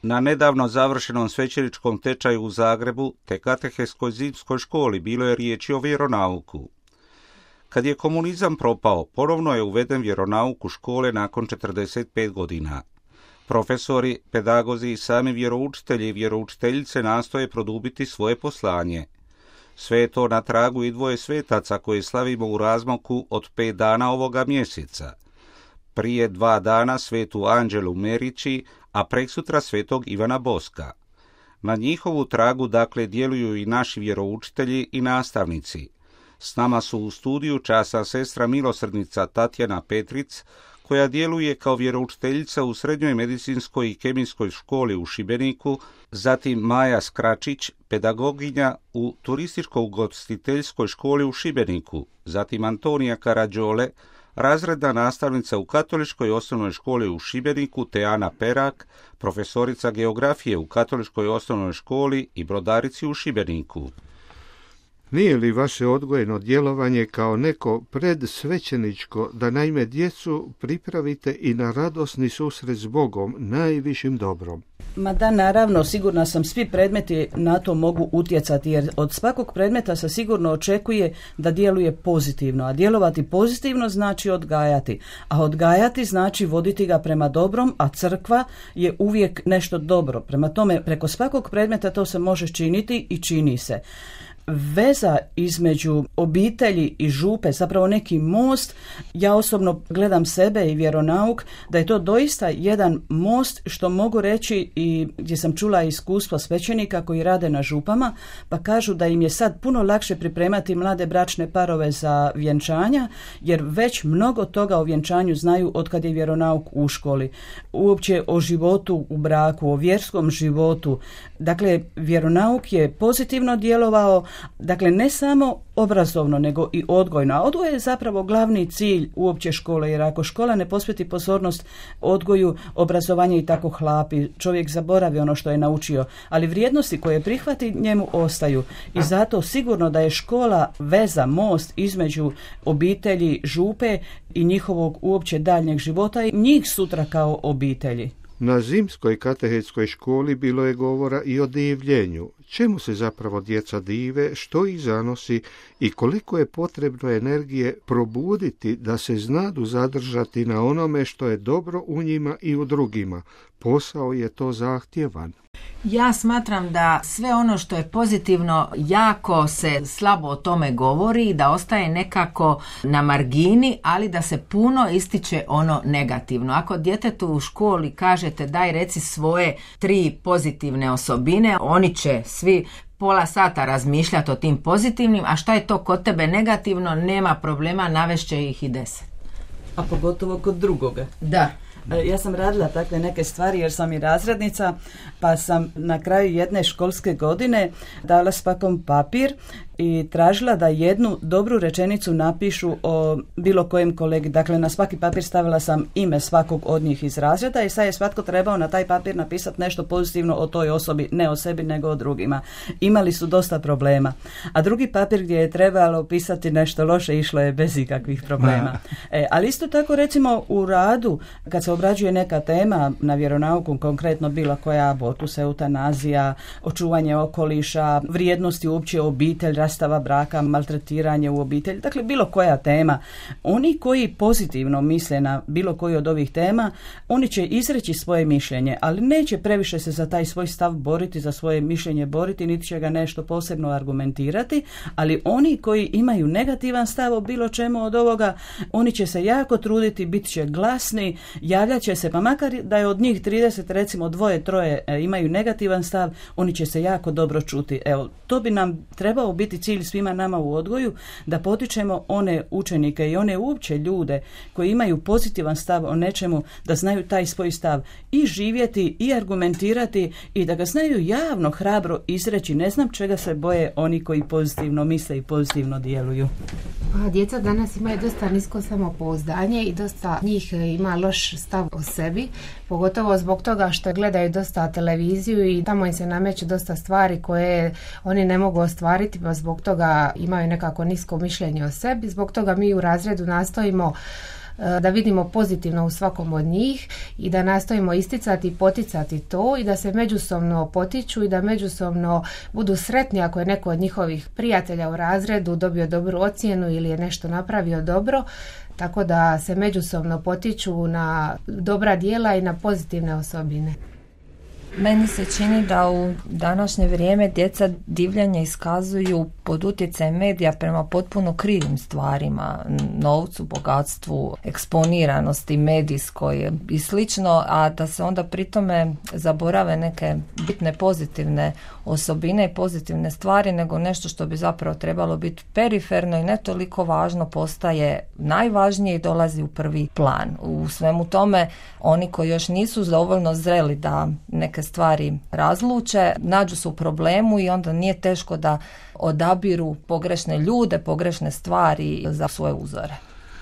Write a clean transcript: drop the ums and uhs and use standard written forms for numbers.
Na nedavno završenom svećeničkom tečaju u Zagrebu te kateheskoj zimskoj školi bilo je riječi o vjeronauku. Kad je komunizam propao, ponovno je uveden vjeronauk u škole nakon 45 godina. Profesori, pedagozi i sami vjeroučitelji i vjeroučiteljice nastoje produbiti svoje poslanje. Sve je to na tragu i dvoje svetaca koje slavimo u razmaku od 5 dana ovoga mjeseca. Prije 2 dana svetu Anđelu Merići, a preksutra svetog Ivana Boska. Na njihovu tragu dakle djeluju i naši vjeroučitelji i nastavnici. S nama su u studiju časna sestra milosrdnica Tatjana Petric, koja djeluje kao vjeroučiteljica u Srednjoj medicinskoj i kemijskoj školi u Šibeniku, zatim Maja Skračić, pedagoginja u turističko-ugostiteljskoj školi u Šibeniku, zatim Antonija Karađole, razredna nastavnica u Katoličkoj osnovnoj školi u Šibeniku, te Ana Perak, profesorica geografije u Katoličkoj osnovnoj školi i brodarici u Šibeniku. Nije li vaše odgojno djelovanje kao neko predsvećeničko da naime djecu pripravite i na radosni susret s Bogom, najvišim dobrom? Ma da, naravno, sigurna sam, svi predmeti na to mogu utjecati, jer od svakog predmeta se sigurno očekuje da djeluje pozitivno, a djelovati pozitivno znači odgajati, a odgajati znači voditi ga prema dobrom, a crkva je uvijek nešto dobro. Prema tome, preko svakog predmeta to se može činiti i čini se. Veza između obitelji i župe, zapravo neki most, ja osobno gledam sebe i vjeronauk, da je to doista jedan most, što mogu reći i gdje sam čula iskustva svećenika koji rade na župama, pa kažu da im je sad puno lakše pripremati mlade bračne parove za vjenčanja, jer već mnogo toga o vjenčanju znaju otkad je vjeronauk u školi. Uopće o životu u braku, o vjerskom životu. Dakle, vjeronauk je pozitivno djelovao, dakle ne samo obrazovno nego i odgojno. A odgoj je zapravo glavni cilj uopće škole, jer ako škola ne posveti pozornost odgoju, obrazovanje i tako hlapi, čovjek zaboravi ono što je naučio, ali vrijednosti koje prihvati njemu ostaju. I zato sigurno da je škola veza, most između obitelji, župe i njihovog uopće daljnjeg života i njih sutra kao obitelji. Na zimskoj katehetskoj školi bilo je govora i o divljenju. Čemu se zapravo djeca dive, što ih zanosi i koliko je potrebno energije probuditi da se znadu zadržati na onome što je dobro u njima i u drugima. Posao je to zahtjevan. Ja smatram da sve ono što je pozitivno jako se slabo o tome govori, da ostaje nekako na margini, ali da se puno ističe ono negativno. Ako djetetu u školi kažete daj reci svoje 3 pozitivne osobine, oni će svi pola sata razmišljati o tim pozitivnim, a šta je to kod tebe negativno, nema problema, navešće ih i 10. A pogotovo kod drugoga. Da. Ja sam radila takve neke stvari jer sam i razrednica, pa sam na kraju jedne školske godine dala svakom papir i tražila da jednu dobru rečenicu napišu o bilo kojem kolegi. Dakle, na svaki papir stavila sam ime svakog od njih iz razreda i sad je svatko trebao na taj papir napisati nešto pozitivno o toj osobi, ne o sebi nego o drugima. Imali su dosta problema. A drugi papir gdje je trebalo pisati nešto loše išlo je bez ikakvih problema. Ali isto tako recimo u radu, kad se obrađuje neka tema na vjeronauku, konkretno bilo koja, abortus, eutanazija, očuvanje okoliša, vrijednosti uopće obitelj, rastava braka, maltretiranje u obitelji, dakle bilo koja tema. Oni koji pozitivno misle na bilo koju od ovih tema, oni će izreći svoje mišljenje, ali neće previše se za taj svoj stav boriti, za svoje mišljenje boriti, niti će ga nešto posebno argumentirati, ali oni koji imaju negativan stav o bilo čemu od ovoga, oni će se jako truditi, bit će glasni, javljat će se, pa makar da je od njih 30, recimo 2-3 imaju negativan stav, oni će se jako dobro čuti. Evo, to bi nam trebao biti cilj svima nama u odgoju, da potičemo one učenike i one uopće ljude koji imaju pozitivan stav o nečemu, da znaju taj svoj stav i živjeti i argumentirati i da ga znaju javno, hrabro izreći. Ne znam čega se boje oni koji pozitivno misle i pozitivno djeluju. A djeca danas imaju dosta nisko samopouzdanje i dosta njih ima loš stav o sebi, pogotovo zbog toga što gledaju dosta televiziju i tamo im se nameću dosta stvari koje oni ne mogu ostvariti, pa zbog toga imaju nekako nisko mišljenje o sebi. Zbog toga mi u razredu nastojimo da vidimo pozitivno u svakom od njih i da nastojimo isticati i poticati to i da se međusobno potiču i da međusobno budu sretni ako je neko od njihovih prijatelja u razredu dobio dobru ocjenu ili je nešto napravio dobro, tako da se međusobno potiču na dobra djela i na pozitivne osobine. Meni se čini da u današnje vrijeme djeca divljanje iskazuju pod utjecajem medija prema potpuno krivim stvarima, novcu, bogatstvu, eksponiranosti medijskoj i slično, a da se onda pri tome zaborave neke bitne pozitivne osobine i pozitivne stvari, nego nešto što bi zapravo trebalo biti periferno i ne toliko važno postaje najvažnije i dolazi u prvi plan. U svemu tome oni koji još nisu dovoljno zreli da neke stvari razluče, nađu se u problemu i onda nije teško da odabiru pogrešne ljude, pogrešne stvari za svoje uzore.